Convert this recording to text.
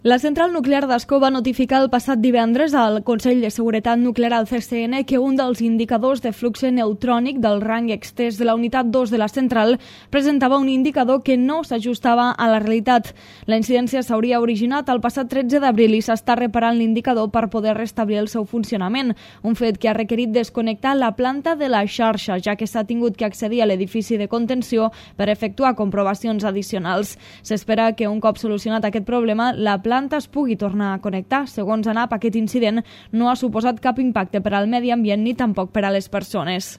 La central nuclear d'Ascó va notificar el passat divendres al Consell de Seguretat Nuclear al CCN que un dels indicadors de flux neutrònic del rang extès de la unitat 2 de la central presentava un indicador que no s'ajustava a la realitat. La incidència s'hauria originat el passat 13 d'abril i s'està reparant l'indicador per poder restablir el seu funcionament, un fet que ha requerit desconnectar la planta de la xarxa, ja que s'ha tingut que accedir a l'edifici de contenció per efectuar comprovacions addicionals. S'espera que un cop solucionat aquest problema, la planta es pugui tornar a connectar. Segons ANAP, aquest incident no ha suposat cap impacte per al medi ambient ni tampoc per a les persones.